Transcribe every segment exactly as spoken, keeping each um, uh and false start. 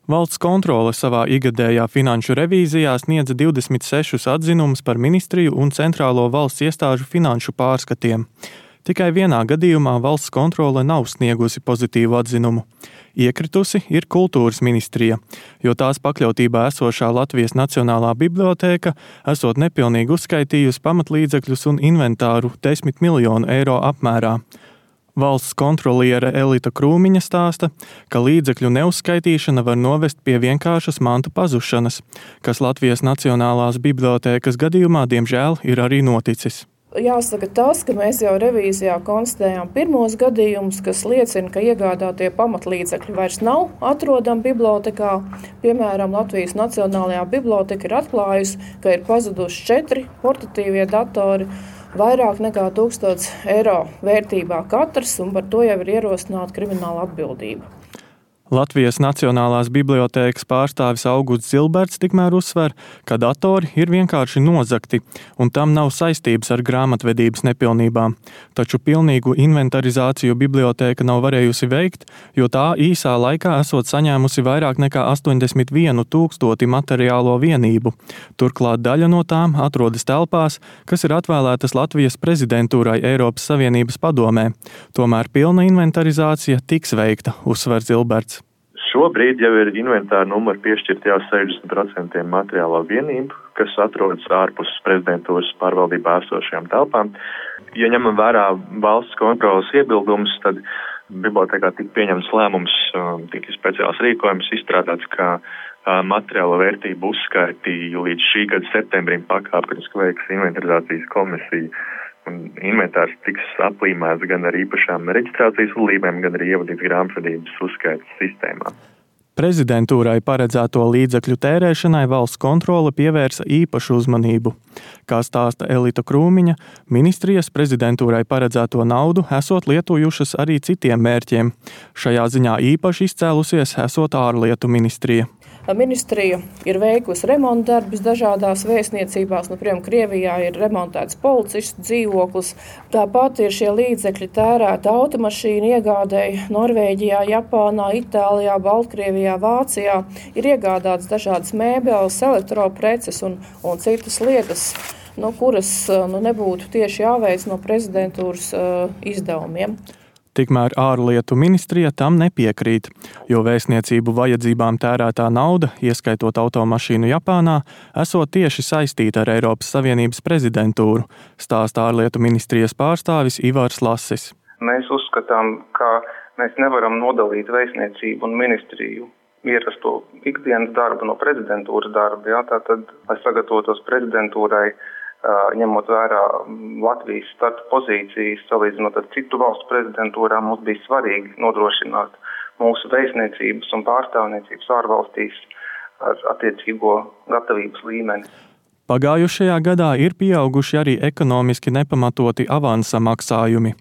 Valsts kontrole savā ikgadējā finanšu revīzijā sniedza divdesmit sešus atzinumus par ministriju un centrālo valsts iestāžu finanšu pārskatiem. Tikai vienā gadījumā valsts kontrole nav sniegusi pozitīvu atzinumu. Iekritusi ir kultūras ministrija, jo tās pakļautībā esošā Latvijas Nacionālā bibliotēka esot nepilnīgi uzskaitījusi pamatlīdzekļus un inventāru desmit miljonu eiro apmērā. Valsts kontroliere Elita Krūmiņa stāsta, ka līdzekļu neuzskaitīšana var novest pie vienkāršas mantu pazušanas, kas Latvijas Nacionālās bibliotēkas gadījumā diemžēl ir arī noticis. Jāsaka tas, ka mēs jau revīzijā konstatējām pirmos gadījumus, kas liecina, ka iegādātie pamatlīdzekļi vairs nav atrodami bibliotekā. Piemēram, Latvijas Nacionālajā biblioteka ir atklājusi, ka ir pazuduši četri portatīvie datori, vairāk nekā tūkstots eiro vērtībā katrs, un par to jau ir ierosināta krimināla atbildība. Latvijas Nacionālās bibliotēkas pārstāvis Augusts Zilberts tikmēr uzsver, ka datori ir vienkārši nozagti, un tam nav saistības ar grāmatvedības nepilnībām. Taču pilnīgu inventarizāciju bibliotēka nav varējusi veikt, jo tā īsā laikā esot saņēmusi vairāk nekā astoņdesmit vienu tūkstoti materiālo vienību. Turklāt daļa no tām atrodas telpās, kas ir atvēlētas Latvijas prezidentūrai Eiropas Savienības padomē. Tomēr pilna inventarizācija tiks veikta, uzsver Zilberts. Šobrīd jau ir inventāra numuri piešķirti jau sešdesmit procenti materiālo vienību, kas atrodas ārpus prezidentūras pārvaldībā esošajām telpām. Ja ņemam vērā valsts kontrolas iebildumus, tad bibliotēkā tika pieņemts lēmums, tika speciāls rīkojums izstrādāts, kā materiālo vērtību uzskaiti līdz šī gada septembrim pakāpeniski veiks inventarizācijas komisija. Un inventārs tiks aplīmēts gan ar īpašām reģistrācijas līmēm, gan arī ievadīts grāmatvedības uzskaites sistēmā. Prezidentūrai paredzēto līdzekļu tērēšanai valsts kontrole pievērsa īpašu uzmanību. Kā stāsta Elita Krūmiņa, ministrijas prezidentūrai paredzēto naudu esot lietojušas arī citiem mērķiem. Šajā ziņā īpaši izcēlusies esot ārlietu ministrija. Ministrija ir veikusi remonta darbus dažādās vēstniecībās. Nu, piemēram, Krievijā ir remontēts policistu dzīvoklis. Tāpat ir šie līdzekļi tērēti automašīnu iegādēji Norvēģijā, Japānā, Itālijā, Baltkrievijā, Vācijā. Ir iegādāts dažādas mēbeles, elektropreces un, un citas lietas, nu, kuras nu, nebūtu tieši jāveic no prezidentūras uh, izdevumiem. Tikmēr ārlietu ministrija tam nepiekrīt, jo vēstniecību vajadzībām tērētā nauda, ieskaitot automašīnu Japānā, esot tieši saistīta ar Eiropas Savienības prezidentūru, stāsta ārlietu ministrijas pārstāvis Ivars Lasis. Mēs uzskatām, ka mēs nevaram nodalīt vēstniecību un ministriju ierasto ikdienas darbu no prezidentūras darba. Jā, tātad, lai sagatavotos prezidentūrai, ņemot vērā Latvijas starta pozīcijas, salīdzinot ar citu valstu prezidentūrām, mums bija svarīgi nodrošināt mūsu vēstniecības un pārstāvniecības ārvalstīs ar attiecīgo gatavības līmeni. Pagājušajā gadā ir pieauguši arī ekonomiski nepamatoti avansa maksājumi.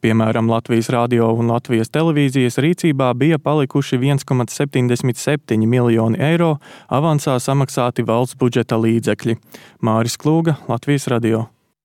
Piemēram, Latvijas radio un Latvijas televīzijas rīcībā bija palikuši viens komats septiņdesmit septiņi miljoni eiro avansā samaksāti valsts budžeta līdzekļi. Māris Klūga, Latvijas radio.